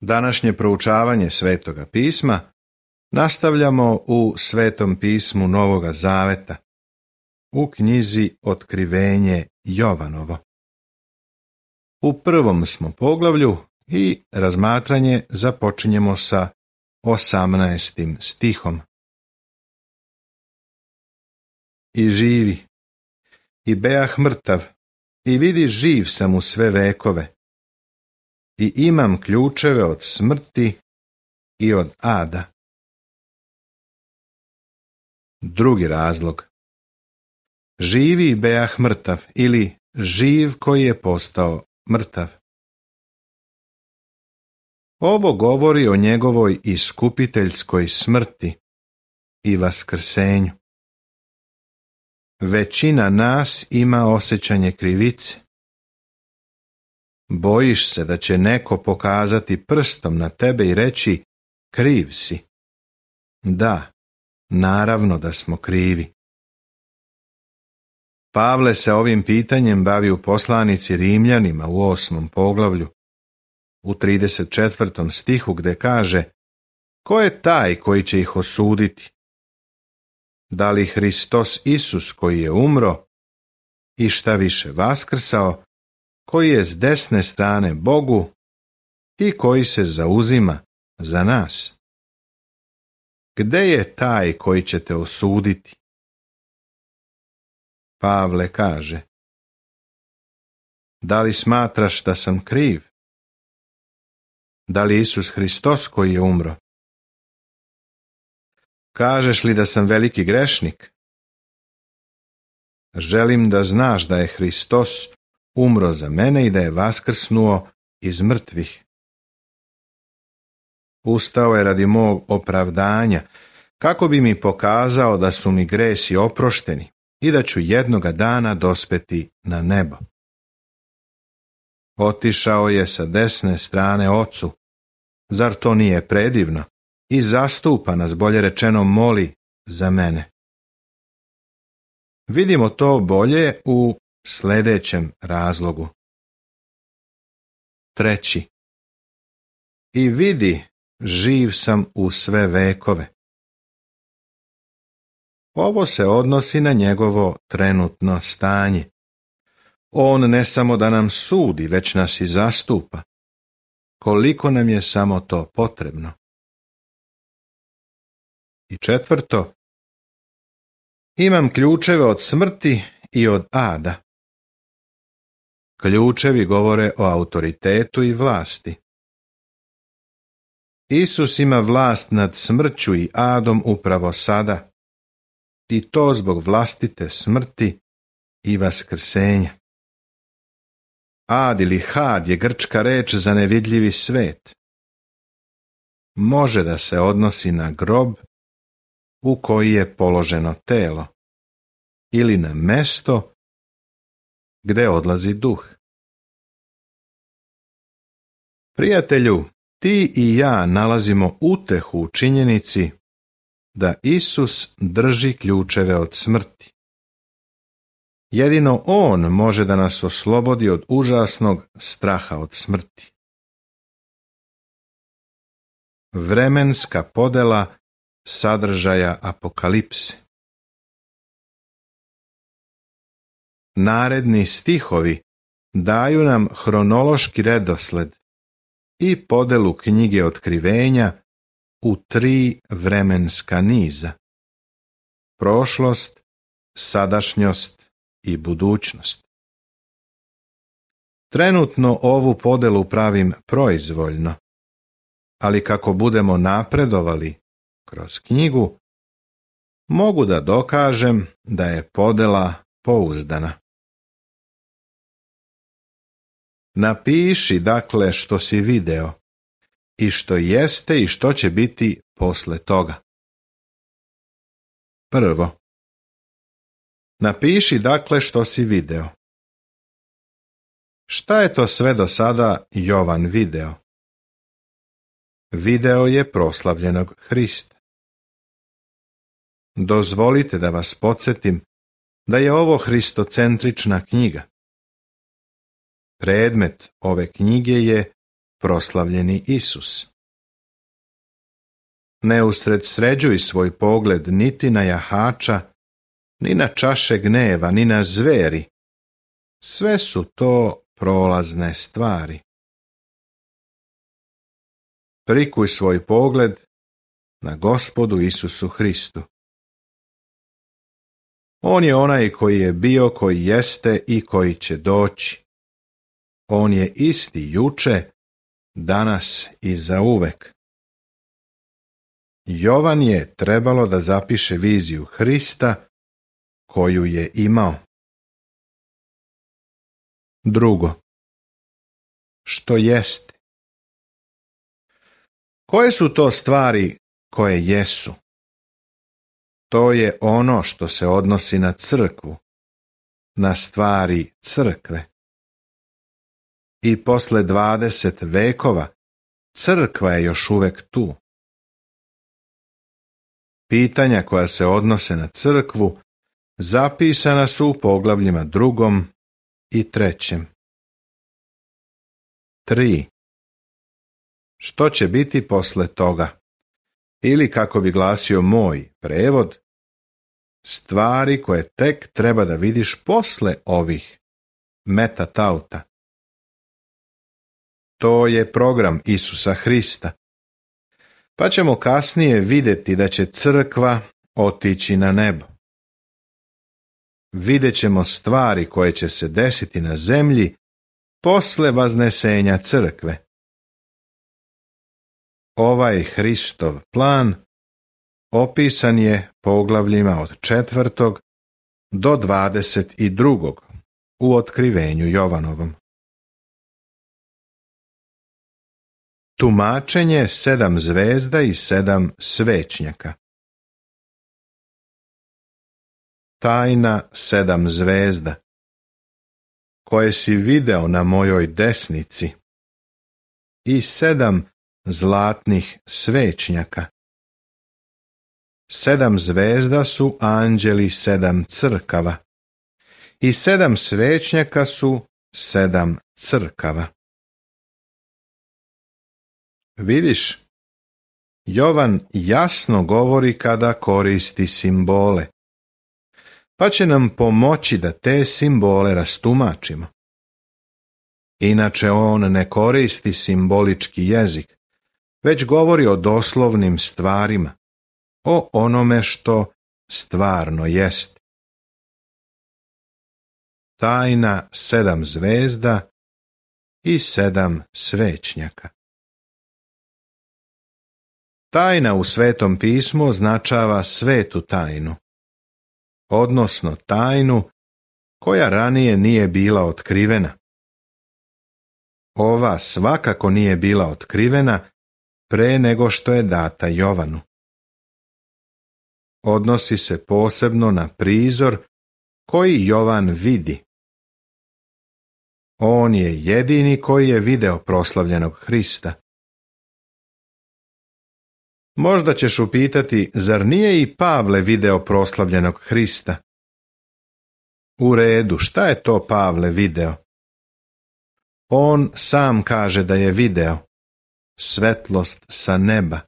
Današnje proučavanje Svetoga pisma nastavljamo u Svetom pismu Novoga Zaveta, u knjizi Otkrivenje Jovanovo. U prvom smo poglavlju i razmatranje započinjemo sa 18. stihom. I živi, i beah mrtav, i vidi živ sam u sve vekove, i imam ključeve od smrti i od ada. Drugi razlog. Živi i beah mrtav, ili živ koji je postao mrtav. Ovo govori o njegovoj iskupiteljskoj smrti i vaskrsenju. Većina nas ima osjećanje krivice. Bojiš se da će neko pokazati prstom na tebe i reći kriv si. Da, naravno da smo krivi. Pavle se ovim pitanjem bavi u poslanici Rimljanima u 8. poglavlju, u 34. stihu gdje kaže: ko je taj koji će ih osuditi? Da li Hristos Isus koji je umro i šta više vaskrsao, koji je s desne strane Bogu i koji se zauzima za nas? Gde je taj koji će te osuditi? Pavle kaže: da li smatraš da sam kriv? Da li Isus Hristos koji je umro? Kažeš li da sam veliki grešnik? Želim da znaš da je Hristos umro za mene i da je vaskrsnuo iz mrtvih. Ustao je radi mog opravdanja, kako bi mi pokazao da su mi gresi oprošteni i da ću jednoga dana dospeti na nebo. Otišao je sa desne strane Ocu. Zar to nije predivno? I zastupa nas, bolje rečeno moli za mene. Vidimo to bolje u sljedećem razlogu. Treći. I vidi, živ sam u sve vekove. Ovo se odnosi na njegovo trenutno stanje. On ne samo da nam sudi, već nas i zastupa. Koliko nam je samo to potrebno. I četvrto. Imam ključeve od smrti i od ada. Ključevi govore o autoritetu i vlasti. Isus ima vlast nad smrću i adom upravo sada, i to zbog vlastite smrti i vaskrsenja. Ad ili had je grčka reč za nevidljivi svet. Može da se odnosi na grob u koji je položeno telo ili na mesto gdje odlazi duh. Prijatelju, ti i ja nalazimo utehu u činjenici da Isus drži ključeve od smrti. Jedino On može da nas oslobodi od užasnog straha od smrti. Vremenska podela sadržaja apokalipse. Naredni stihovi daju nam hronološki redosled i podelu knjige Otkrivenja u 3 vremenska niza: prošlost, sadašnjost i budućnost. Trenutno ovu podelu pravim proizvoljno, ali kako budemo napredovali kroz knjigu, mogu da dokažem da je podela pouzdana. Napiši dakle što si video i što jeste i što će biti posle toga. Prvo. Napiši dakle što si video. Šta je to sve do sada Jovan video? Video je proslavljenog Hrista. Dozvolite da vas podsjetim da je ovo hristocentrična knjiga. Predmet ove knjige je proslavljeni Isus. Ne usredsređuj svoj pogled niti na jahača, ni na čaše gneva, ni na zveri. Sve su to prolazne stvari. Prikuj svoj pogled na Gospodu Isusu Hristu. On je onaj koji je bio, koji jeste i koji će doći. On je isti juče, danas i zauvek. Jovan je trebalo da zapiše viziju Hrista koju je imao. Drugo, što jeste? Koje su to stvari koje jesu? To je ono što se odnosi na crkvu, na stvari crkve. I posle 20 vekova crkva je još uvek tu. Pitanja koja se odnose na crkvu zapisana su u poglavljima 2. i 3. 3. Što će biti posle toga? Ili, kako bi glasio moj prevod, stvari koje tek treba da vidiš posle ovih metatauta. To je program Isusa Hrista. Pa ćemo kasnije vidjeti da će crkva otići na nebo. Vidjet ćemo stvari koje će se desiti na zemlji posle vaznesenja crkve. Ovaj Hristov plan opisan je poglavljima od 4. do 22. u otkrivenju Jovanovom. Tumačenje 7 zvezda i 7 svećnjaka. Tajna 7 zvezda, koje si video na mojoj desnici, i 7 zlatnih svećnjaka. 7 zvezda su anđeli 7 crkava, i 7 svećnjaka su 7 crkava. Vidiš, Jovan jasno govori kada koristi simbole, pa će nam pomoći da te simbole rastumačimo. Inače on ne koristi simbolički jezik, već govori o doslovnim stvarima, o onome što stvarno jest. Tajna 7 zvezda i 7 svećnjaka. Tajna u Svetom pismu označava svetu tajnu, odnosno tajnu koja ranije nije bila otkrivena. Ova svakako nije bila otkrivena pre nego što je data Jovanu. Odnosi se posebno na prizor koji Jovan vidi. On je jedini koji je video proslavljenog Hrista. Možda ćeš upitati, zar nije i Pavle video proslavljenog Hrista? U redu, šta je to Pavle video? On sam kaže da je video svetlost sa neba,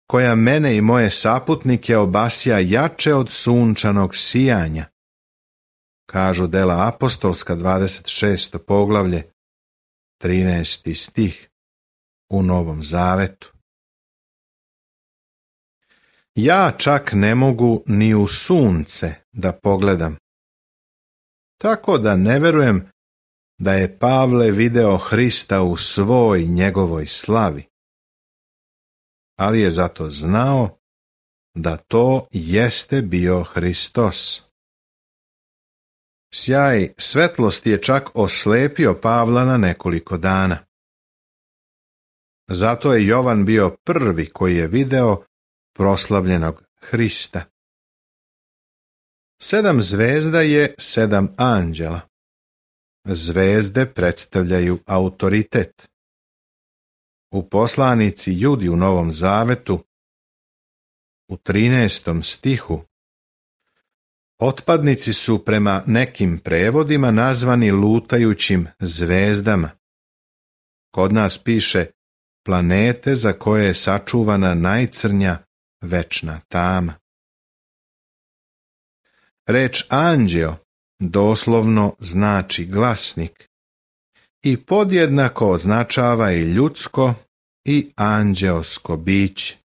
koja mene i moje saputnike obasja jače od sunčanog sijanja. Kažu Dela apostolska 26. poglavlje, 13. stih u Novom Zavetu. Ja čak ne mogu ni u sunce da pogledam, tako da ne verujem da je Pavle video Hrista u svoj njegovoj slavi, ali je zato znao da to jeste bio Hristos. Sjaj svetlosti je čak oslepio Pavla na nekoliko dana. Zato je Jovan bio prvi koji je video proslavljenog Hrista. 7 zvezda je 7 anđela. Zvezde predstavljaju autoritet. U poslanici Judi u Novom Zavetu, u 13. stihu, otpadnici su prema nekim prevodima nazvani lutajućim zvezdama, Kod nas piše planete za koje je sačuvana najcrnja večna tama. Reč anđeo doslovno znači glasnik i podjednako označava i ljudsko i anđeosko biće.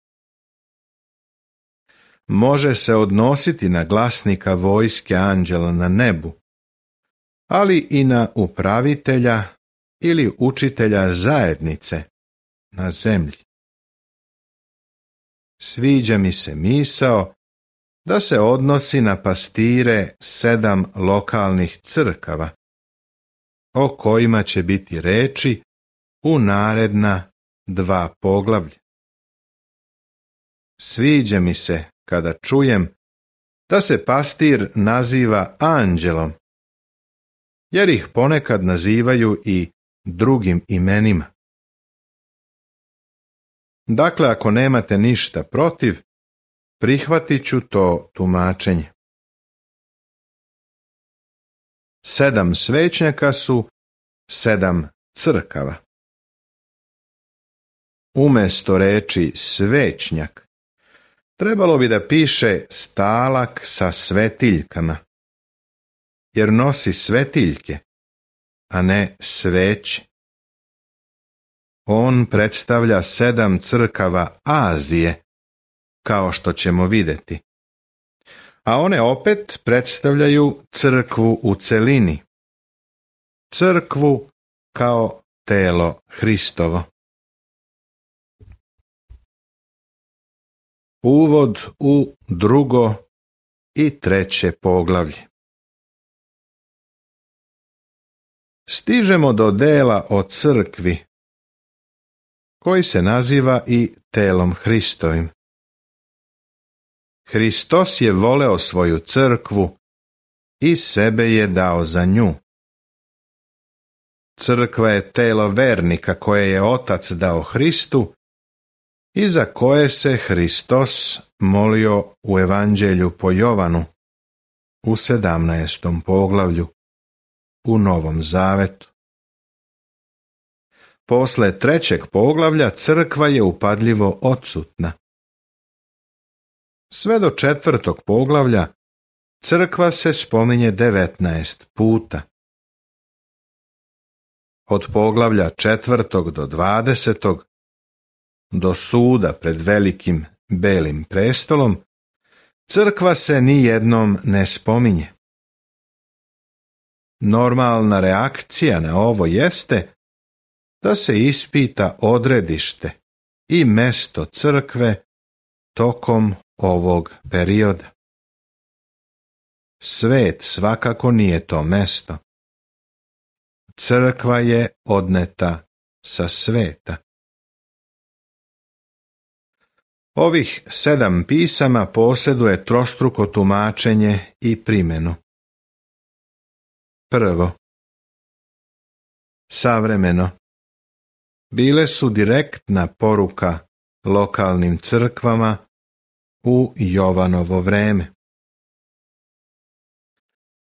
Može se odnositi na glasnika vojske anđela na nebu, ali i na upravitelja ili učitelja zajednice na zemlji. Sviđa mi se misao da se odnosi na pastire 7 lokalnih crkava, o kojima će biti reči u naredna 2 poglavlja. Sviđa mi se kada čujem da se pastir naziva anđelom, jer ih ponekad nazivaju i drugim imenima. Dakle, ako nemate ništa protiv, prihvatit ću to tumačenje. 7 svećnjaka su 7 crkava. Umjesto reči svećnjak, trebalo bi da piše stalak sa svetiljkama, jer nosi svetiljke, a ne sveće. On predstavlja 7 crkava Azije, kao što ćemo vidjeti. A one opet predstavljaju crkvu u celini. Crkvu kao telo Hristovo. Uvod u 2. i 3. poglavlje. Stižemo do dela o crkvi, koji se naziva i telom Hristovim. Hristos je voleo svoju crkvu i sebe je dao za nju. Crkva je telo vernika koje je Otac dao Hristu i za koje se Hristos molio u Evanđelju po Jovanu u 17. poglavlju u Novom Zavetu. Posle 3. poglavlja crkva je upadljivo odsutna. Sve do 4. poglavlja crkva se spominje 19 puta. Od poglavlja 4. do 20. do suda pred velikim belim prestolom, crkva se ni jednom ne spominje. Normalna reakcija na ovo jeste da se ispita odredište i mesto crkve tokom ovog perioda. Svet svakako nije to mesto. Crkva je odneta sa sveta. Ovih 7 pisama posjeduje trostruko tumačenje i primjenu. Prvo, savremeno. Bile su direktna poruka lokalnim crkvama u Jovanovo vreme.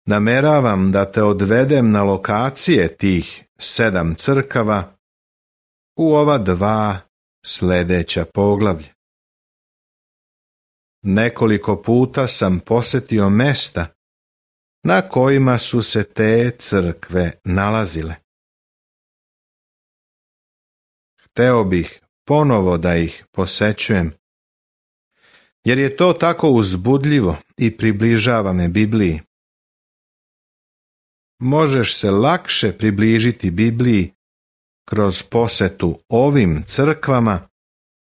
Nameravam da te odvedem na lokacije tih 7 crkava u ova 2 sljedeća poglavlja. Nekoliko puta sam posjetio mesta na kojima su se te crkve nalazile. Hteo bih ponovo da ih posećujem, jer je to tako uzbudljivo i približava me Bibliji. Možeš se lakše približiti Bibliji kroz posetu ovim crkvama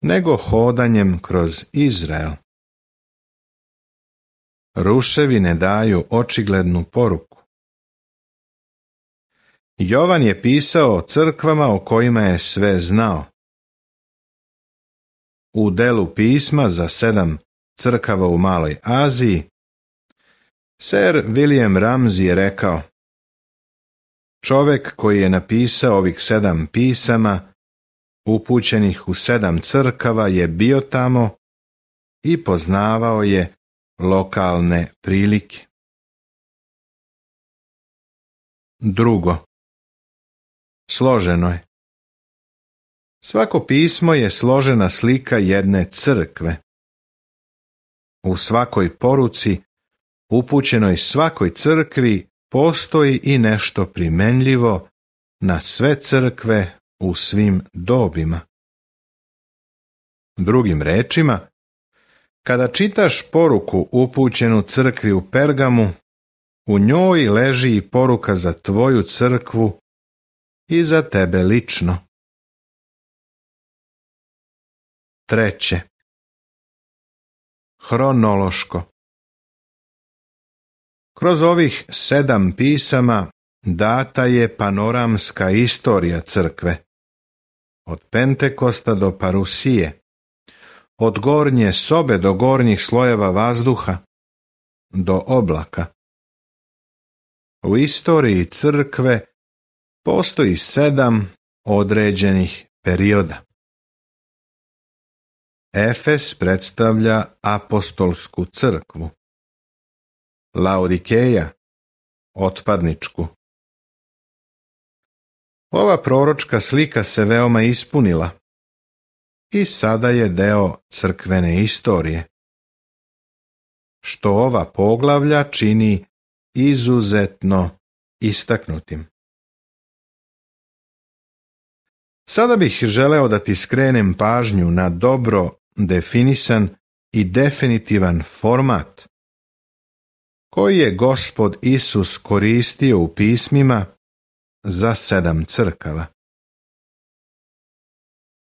nego hodanjem kroz Izrael. Ruševine daju očiglednu poruku. Jovan je pisao o crkvama o kojima je sve znao. U delu pisma za 7 crkava u Maloj Aziji, Sir William Ramsay je rekao: čovjek koji je napisao ovih 7 pisama, upućenih u 7 crkava, je bio tamo i poznavao je lokalne prilike. Drugo, složeno je. Svako pismo je složena slika jedne crkve. U svakoj poruci, upućenoj svakoj crkvi, postoji i nešto primenljivo na sve crkve u svim dobima. Drugim rečima, kada čitaš poruku upućenu crkvi u Pergamu, u njoj leži i poruka za tvoju crkvu i za tebe lično. Treće. Hronološko. Kroz ovih 7 pisama data je panoramska istorija crkve, od Pentekosta do Parusije, od gornje sobe do gornjih slojeva vazduha, do oblaka. U istoriji crkve postoji 7 određenih perioda. Efes predstavlja apostolsku crkvu, Laodikeja otpadničku. Ova proročka slika se veoma ispunila i sada je deo crkvene istorije, što ova poglavlja čini izuzetno istaknutim. Sada bih želeo da ti skrenem pažnju na dobro definisan i definitivan format koji je Gospod Isus koristio u pismima za 7 crkava.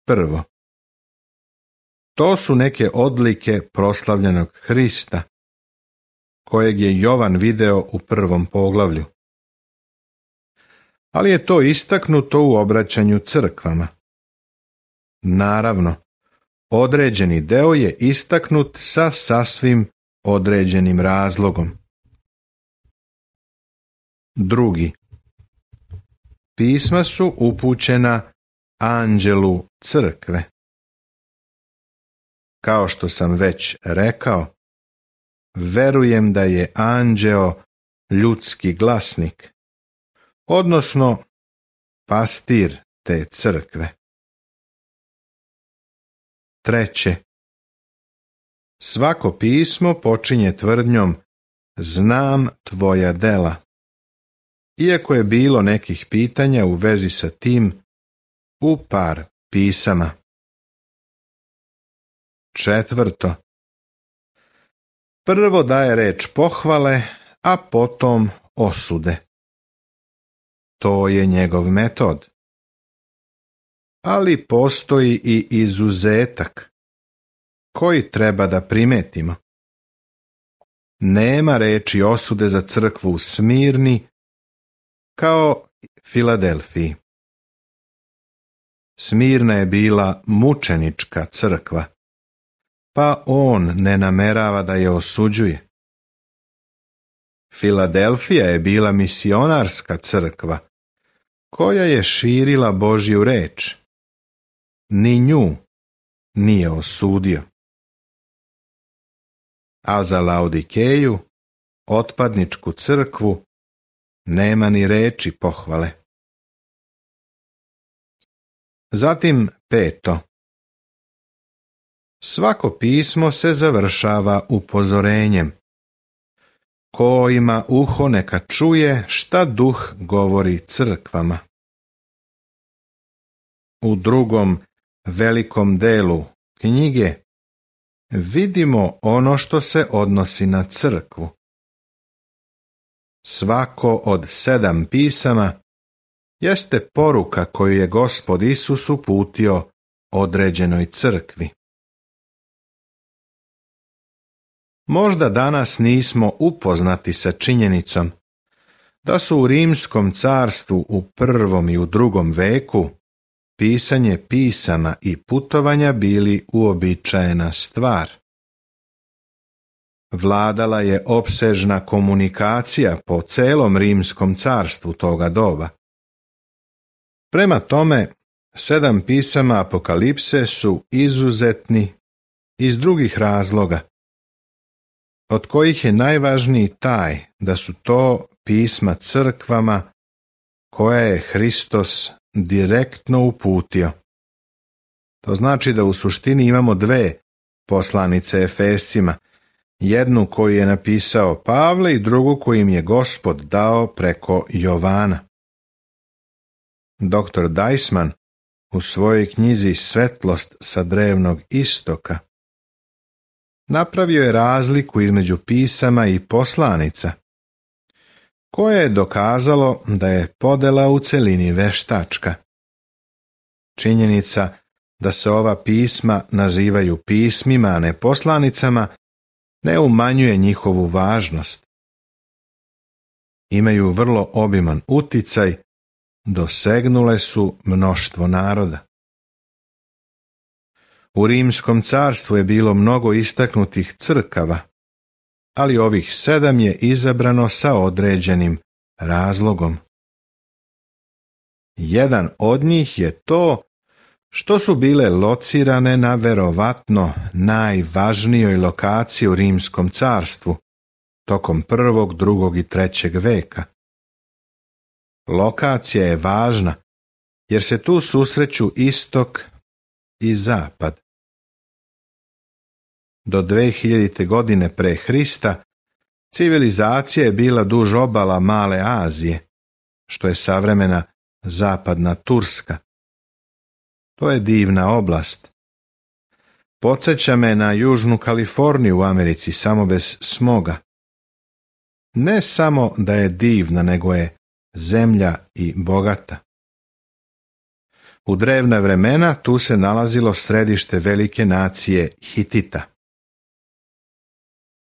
Prvo, to su neke odlike proslavljenog Hrista, kojeg je Jovan video u 1. poglavlju. Ali je to istaknuto u obraćanju crkvama. Naravno, određeni deo je istaknut sa sasvim određenim razlogom. Drugi, pisma su upućena anđelu crkve. Kao što sam već rekao, verujem da je anđeo ljudski glasnik, odnosno pastir te crkve. Treće, svako pismo počinje tvrdnjom znam tvoja dela, iako je bilo nekih pitanja u vezi sa tim u par pisama. Četvrto, prvo daje reč pohvale, a potom osude. To je njegov metod. Ali postoji i izuzetak, koji treba da primetimo. Nema reči osude za crkvu u Smirni, kao Filadelfiji. Smirna je bila mučenička crkva, pa on ne namerava da je osuđuje. Filadelfija je bila misionarska crkva, koja je širila Božju reč. Ni nju nije osudio. A za Laodikeju, otpadničku crkvu, nema ni reči pohvale. Zatim peto. Svako pismo se završava upozorenjem. Ko ima uho neka čuje šta duh govori crkvama. U drugom velikom delu knjige vidimo ono što se odnosi na crkvu. Svako od 7 pisama jeste poruka koju je Gospod Isus uputio određenoj crkvi. Možda danas nismo upoznati sa činjenicom da su u Rimskom carstvu u 1. i u 2. veku pisanje pisama i putovanja bili uobičajena stvar. Vladala je opsežna komunikacija po celom Rimskom carstvu toga doba. Prema tome, 7 pisama Apokalipse su izuzetni iz drugih razloga, od kojih je najvažniji taj da su to pisma crkvama koja je Hristos direktno uputio. To znači da u suštini imamo dve poslanice Efescima, jednu koju je napisao Pavle i drugu koju im je Gospod dao preko Jovana. Dr. Deisman u svojoj knjizi Svetlost sa drevnog istoka napravio je razliku između pisama i poslanica, koje je dokazalo da je podela u celini veštačka. Činjenica da se ova pisma nazivaju pismima, a ne poslanicama, ne umanjuje njihovu važnost. Imaju vrlo obiman uticaj, dosegnule su mnoštvo naroda. U Rimskom carstvu je bilo mnogo istaknutih crkava, ali ovih 7 je izabrano sa određenim razlogom. Jedan od njih je to što su bile locirane na verovatno najvažnijoj lokaciji u Rimskom carstvu tokom 1., 2. i 3. veka. Lokacija je važna jer se tu susreću istok i zapad. Do 2000. godine pre Hrista civilizacija je bila duž obala Male Azije, što je savremena zapadna Turska. To je divna oblast. Podsjeća me na Južnu Kaliforniju u Americi, samo bez smoga. Ne samo da je divna, nego je zemlja i bogata. U drevna vremena tu se nalazilo središte velike nacije Hitita.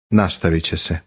Nastavit će se.